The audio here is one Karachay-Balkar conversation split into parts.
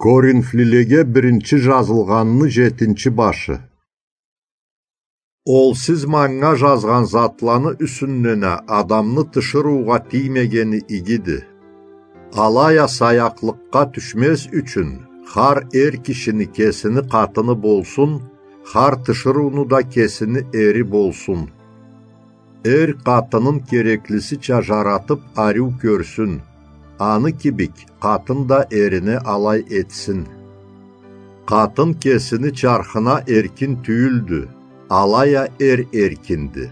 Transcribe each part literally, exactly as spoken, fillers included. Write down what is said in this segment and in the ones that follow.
Коринфлилеге биринчи жазылгъанны жетинчи башы. Ол сиз манга жазгъан затланы юсюнден а адамны тиширыугъа тиймегени игиди. Алай а саякълыкъгъа тюшмез ючюн, хар эр кишини кесини къатыны болсун, хар тиширыуну да кесини эри болсун. Эр къатынын кереклисича жаратып ариу кёрсюн, аны кибик къатын да эрине алай этсин. Къатын кесини чархына эркин тюйюлдю, алай а эр эркинди.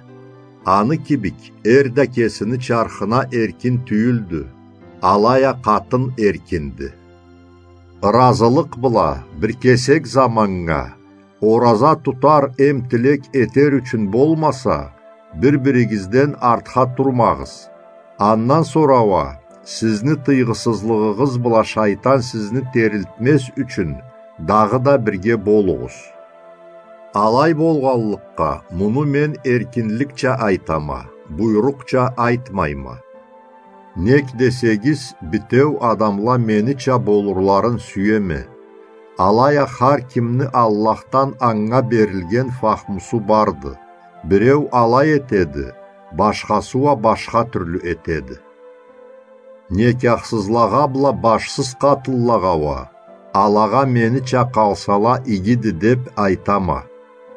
Аны кибик эр да кесини чархына эркин тюйюлдю, алай а къатын эркинди. Ыразылыкъ бла бир кесек заманнга ораза тутар эм тилек этер ючюн болмаса, бир-биригизден артха турмагъыз. Андан сора уа, сизни тыйгъысызлыгъыгъыз бла шайтан сизни терилтмез ючюн, дагъыда бирге болугъуз. Алай болгъанлыкъгъа, муну мен эркинликча айтама, буйрукъча айтмайма. Нек десегиз, битеу адамла менича болурларын сюеме. Алай а хар кимни Аллахдан анга берилген фахмусу барды. Биреу алай этеди, башхасы уа башха тюрлю этеди. Некяхсызлагъа бла башсыз къатынлагъа уа, алагъа менича къалсала игиди деп айтама.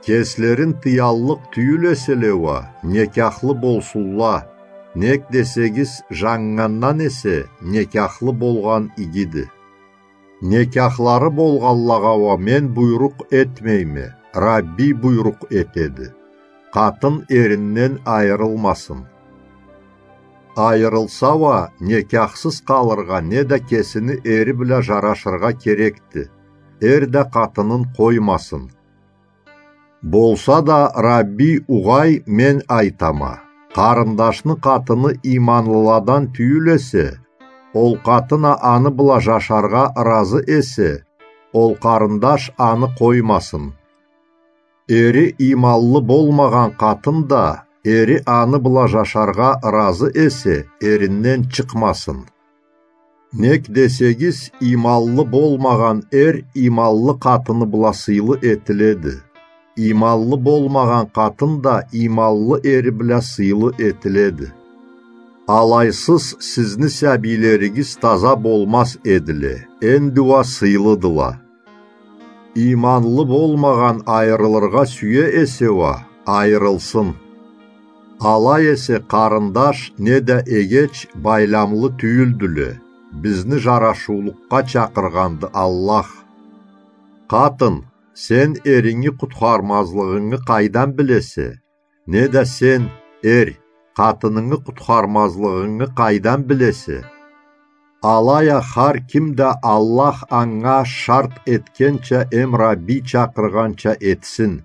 Кеслерин тыяллыкъ тюйюл эселе уа, некяхлы болсунла, нек десегиз, жаннгандан эсе некяхлы болгъан игиди. Некяхлары болгъанлагъа уа мен буйрукъ этмейме, Рабби буйрукъ этеди. Къатын эринден айырылмасын. Айырылса уа, некяхсыз къалыргъа неда кесини эри бла жарашыргъа керекди. Эр да къатынын къоймасын. Болса да Рабби угъай мен айтама: къарындашны къатыны иманлыладан тюйюл эсе, ол къатын а аны бла жашаргъа ыразы эсе, ол къарындаш аны къоймасын. Эри иманлы болмагъан къатын да, эри аны бла жашаргъа ыразы эсе, эринден чыкъмасын. Нек десегиз, иманлы болмагъан эр иманлы къатыны бла сыйлы этиледи. Иманлы болмагъан къатын да иманлы эри бла сыйлы этиледи. Алайсыз сизни сабийлеригиз таза болмаз эдиле, энди уа сыйлыдыла. Иманлы болмагъан айырылыргъа сюе эсе уа, айырылсын. Алай эсе къарындаш неда эгеч байламлы тюйюлдюле, бизни жарашыулукъгъа чакъыргъанды Аллах. Къатын, сен эринги къутхармазлыгъынгы къайдан билесе? Неда сен, эр, къатынынгы къутхармазлыгъынгы къайдан билесе? Алай а хар ким да Аллах анга шарт этгенча эм Рабби чакъыргъанча этсин.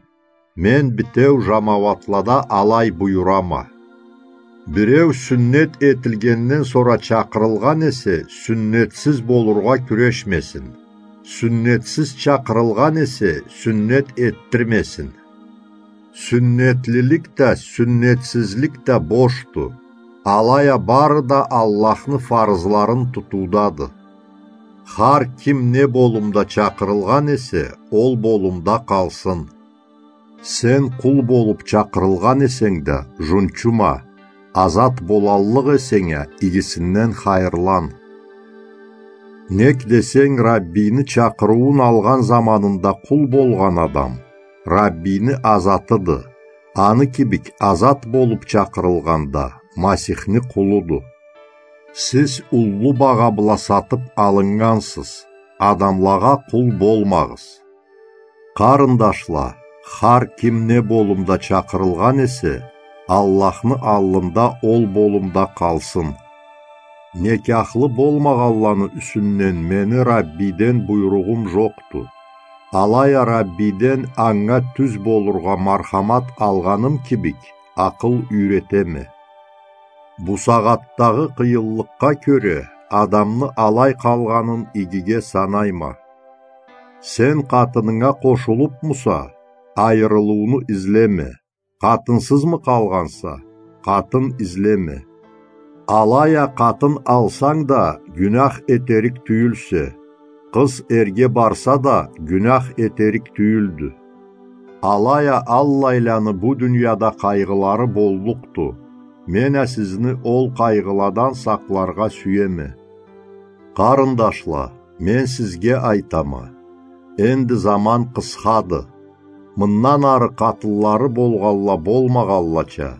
Мен битеу жамауатлада алай буюрама. Биреу сюннет этилгенден сора чакъырылгъан эсе, сюннетсиз болургъа кюрешмесин. Сюннетсиз чакъырылгъан эсе, сюннет этдирмесин. Сюннетлилик да, сюннетсизлик да бошду. Алай а бары да Аллахны фарызларын тутуудады. Хар ким не болумда чакъырылгъан эсе, ол болумда къалсын. Сен къул болуп чакъырылгъан эсенг да, жунчума, азат болаллыкъ эсенг а, игисинден хайырлан. Нек десенг, Раббийни чакъырыуун алгъан заманында къул болгъан адам Раббийни азатыды, аны кибик азат болуп чакъырылгъан да Масихни къулуду. Сиз уллу багъа бла сатып алыннгансыз, адамлагъа къул болмагъыз. Къарындашла, хар ким не болумда чакъырылгъан эсе, Аллахны аллында ол болумда къалсын. Некяхлы болмагъанланы юсюнден мени Раббийден буйругъум жокъду. Алай а Раббийден анга тюз болургъа мархамат алгъаным кибик, акъыл юйретеме. Бусагъатдагъы къыйынлыкъгъа кёре адамны алай къалгъанын игиге санайма. Сен къатынынга къошулупмуса, айырылыуну излеме. Къатынсызмы къалгъанса, къатын излеме. Алай а къатын алсанг да, гюнях этерик тюйюлсе. Къыз эрге барса да, гюнях этерик тюйюлдю. Алай а аллайланы бу дунияда къайгъылары боллукъду. Мен а сизни ол къайгъыладан сакъларгъа сюеме. Къарындашла, мен сизге айтама, энди заман къысхады. Мындан ары къатынлары болгъанла болмагъанлача,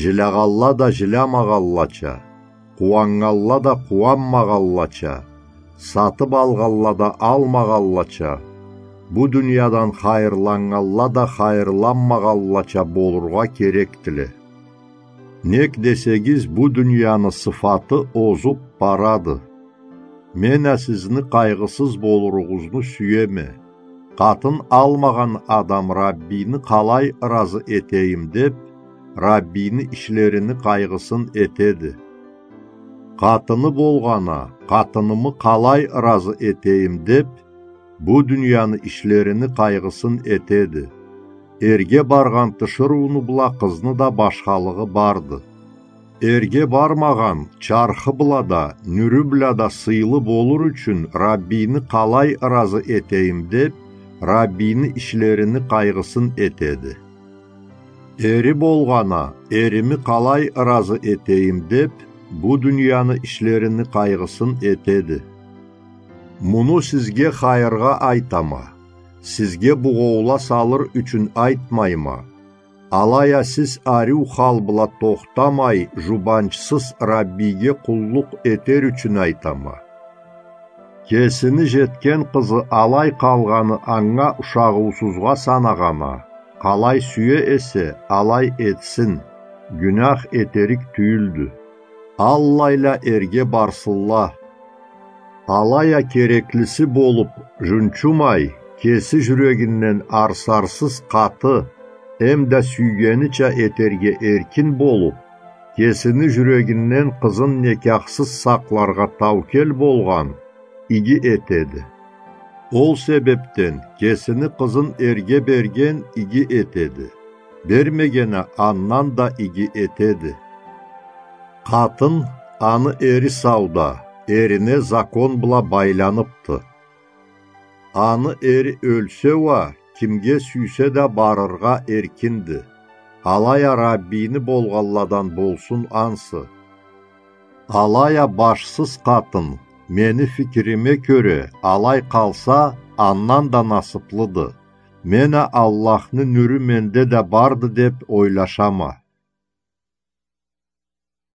жилягъанла да жилямагъанлача, къууаннганла да къууанмагъанлача, сатып алгъанла да алмагъанлача, бу дуниядан хайырланнганла да хайырланмагъанлача болургъа керекдиле. Нек десегиз, бу дунияны сыфаты озуп барады. Мен а сизни къайгъысыз болуругъузну сюеме. Къатын алмагъан адам Раббийни къалай ыразы этейим деп, Раббийни ишлерини къайгъысын этеди. Къатыны болгъан а, къатынымы къалай ыразы этейим деп, бу дунияны ишлерини къайгъысын этеди. Эрге баргъан тиширыуну бла къызны да башхалыгъы барды. Эрге бармагъан чархы бла да, нюрю бла да сыйлы болур ючюн Раббийни къалай ыразы этейим деп, Раббийни ишлерини къайгъысын этеди. Эри болгъан а, эрими къалай ыразы этейим деп, бу дунияны ишлерини къайгъысын этеди. Муну сизге хайыргъа айтама, сизге бугъоула салыр ючюн айтмайма. Алай а сиз ариу хал бла тохтамай, жубанчсыз Раббийге къуллукъ этер ючюн айтама. Кесини жетген къызы алай къалгъаны анга ушагъыусузгъа санагъан а, къалай сюе эсе, алай этсин, гюнях этерик тюйюлдю. Аллайла эрге барсынла. Алай а кереклиси болуп, жунчумай, кеси жюрегинден арсарсыз къаты, эмда сюйгенича этерге эркин болуп, кесини жюрегинден къызын некяхсыз сакъларгъа таукел болгъан, иги этеди. Ол себепден кесини къызын эрге берген иги этеди, бермеген а андан да иги этеди. Къатын, аны эри сауда, эрине закон бла байланыпды. Аны эри ёлсе уа, кимге сюйсе да барыргъа эркинди. Алай а Раббийни болгъанладан болсун ансы. Алай а башсыз къатын, мени фикириме кёре, алай къалса, андан да насыплыды. Мен а Аллахны нюрю менде да барды деп ойлашама.